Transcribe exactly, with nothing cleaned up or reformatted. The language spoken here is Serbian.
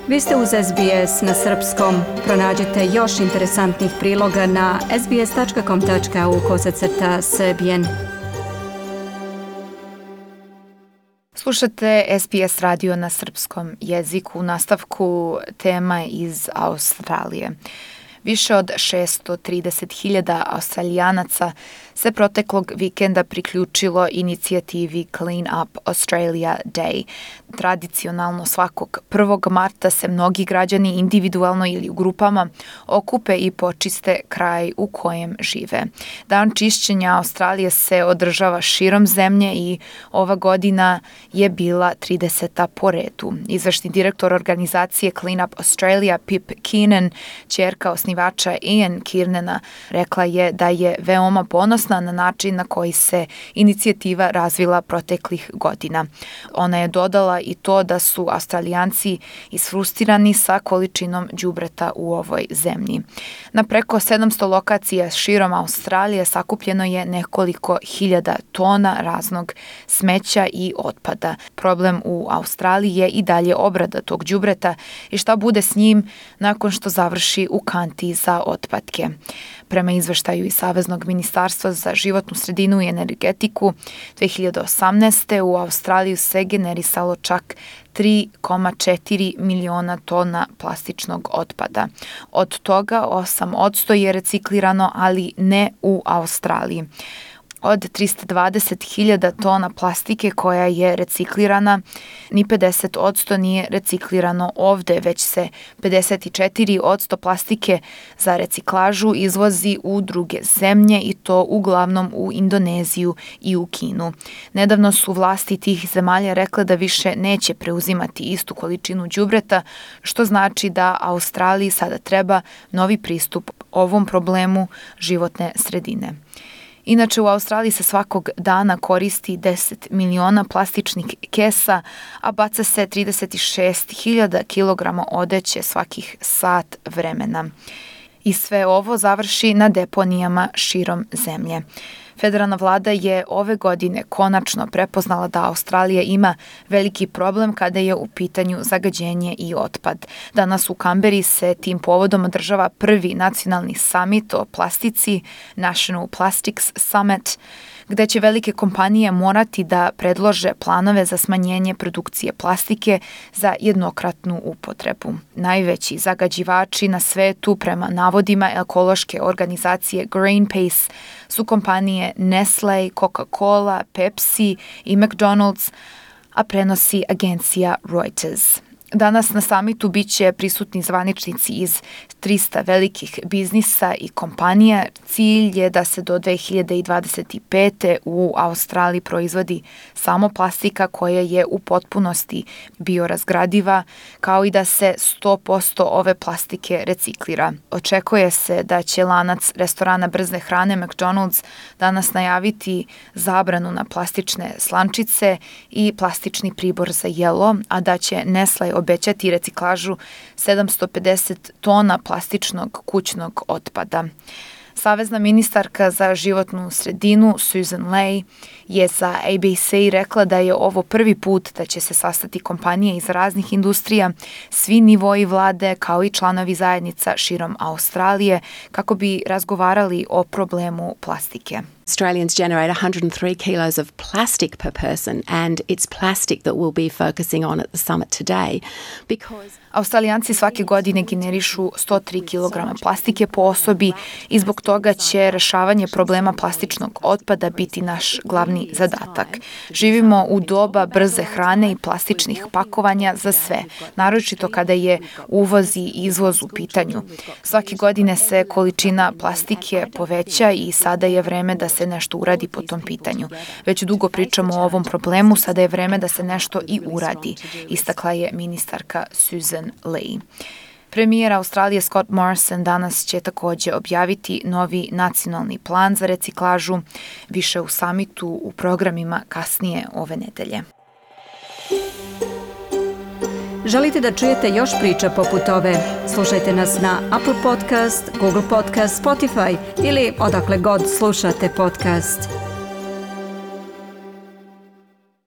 Vi ste uz S B S na srpskom. Pronađite još interesantnih priloga na sbs.com.au kosacrta srbijen. Slušate S B S radio na srpskom jeziku. U nastavku tema iz Australije. Više od šessto trideset hiljada Australijanaca se proteklog vikenda priključilo inicijativi Clean Up Australia Day. Tradicionalno svakog prvog marta se mnogi građani individualno ili u grupama okupe i počiste kraj u kojem žive. Dan čišćenja Australije se održava širom zemlje i ova godina je bila trideseta po redu. Izvršni direktor organizacije Clean Up Australia Pip Keenan, ćerka osnivača Ian Kiernana, rekla je da je veoma ponosna na način na koji se inicijativa razvila proteklih godina. Ona je dodala i to da su Australijanci isfrustirani sa količinom đubreta u ovoj zemlji. Na preko sedamsto lokacija širom Australije sakupljeno je nekoliko hiljada tona raznog smeća i otpada. Problem u Australiji je i dalje obrada tog đubreta i šta bude s njim nakon što završi u kanti za otpadke. Prema izveštaju iz Saveznog ministarstva za životnu sredinu i energetiku, dve hiljade osamnaeste. u Australiju se generisalo čak tri zarez četiri miliona tona plastičnog otpada. Od toga osam posto je reciklirano, ali ne u Australiji. Od trista dvadeset hiljada tona plastike koja je reciklirana, ni pedeset posto nije reciklirano ovde, već se pedeset četiri posto plastike za reciklažu izvozi u druge zemlje i to uglavnom u Indoneziju i u Kinu. Nedavno su vlasti tih zemalja rekle da više neće preuzimati istu količinu đubreta, što znači da Australiji sada treba novi pristup ovom problemu životne sredine. Inače, u Australiji se svakog dana koristi deset miliona plastičnih kesa, a baca se trideset šest hiljada kilograma odeće svakih sat vremena. I sve ovo završi na deponijama širom zemlje. Federalna vlada je ove godine konačno prepoznala da Australija ima veliki problem kada je u pitanju zagađenje i otpad. Danas u Kamberi se tim povodom održava prvi nacionalni summit o plastici, National Plastics Summit, gde će velike kompanije morati da predlože planove za smanjenje produkcije plastike za jednokratnu upotrebu. Najveći zagađivači na svetu prema navodima ekološke organizacije Greenpeace su kompanije Nestle, Coca-Cola, Pepsi i McDonald's, a prenosi agencija Reuters. Danas na samitu biće prisutni zvaničnici iz trista velikih biznisa i kompanija. Cilj je da se do dve hiljade dvadeset pete. u Australiji proizvodi samo plastika koja je u potpunosti biorazgradiva, kao i da se sto posto ove plastike reciklira. Očekuje se da će lanac restorana brze hrane McDonald's danas najaviti zabranu na plastične slančice i plastični pribor za jelo, a da će Nestle obećati reciklažu sedamsto pedeset tona plastičnog kućnog otpada. Savezna ministarka za životnu sredinu Susan Ley je za A B C rekla da je ovo prvi put da će se sastati kompanije iz raznih industrija, svi nivoji vlade kao i članovi zajednica širom Australije kako bi razgovarali o problemu plastike. Australians generate one hundred three kilos of plastic per person, and it's plastic that we'll be focusing on at the summit today because Australijanci svake godine generišu sto tri kilograma plastike po osobi i zbog toga će rešavanje problema plastičnog otpada biti naš glavni zadatak. Živimo u doba brze hrane i plastičnih pakovanja za sve, naročito kada je uvoz i izvoz u pitanju. Svake godine se količina plastike poveća i sada je vreme da se nešto uradi po tom pitanju. Već dugo pričamo o ovom problemu, sada je vreme da se nešto i uradi, istakla je ministarka Susan Ley. Premijer Australije Scott Morrison danas će također objaviti novi nacionalni plan za reciklažu, više u samitu u programima kasnije ove nedelje. Želite da čujete još priča poput ove? Slušajte nas na Apple Podcast, Google Podcast, Spotify ili odakle god slušate podcast.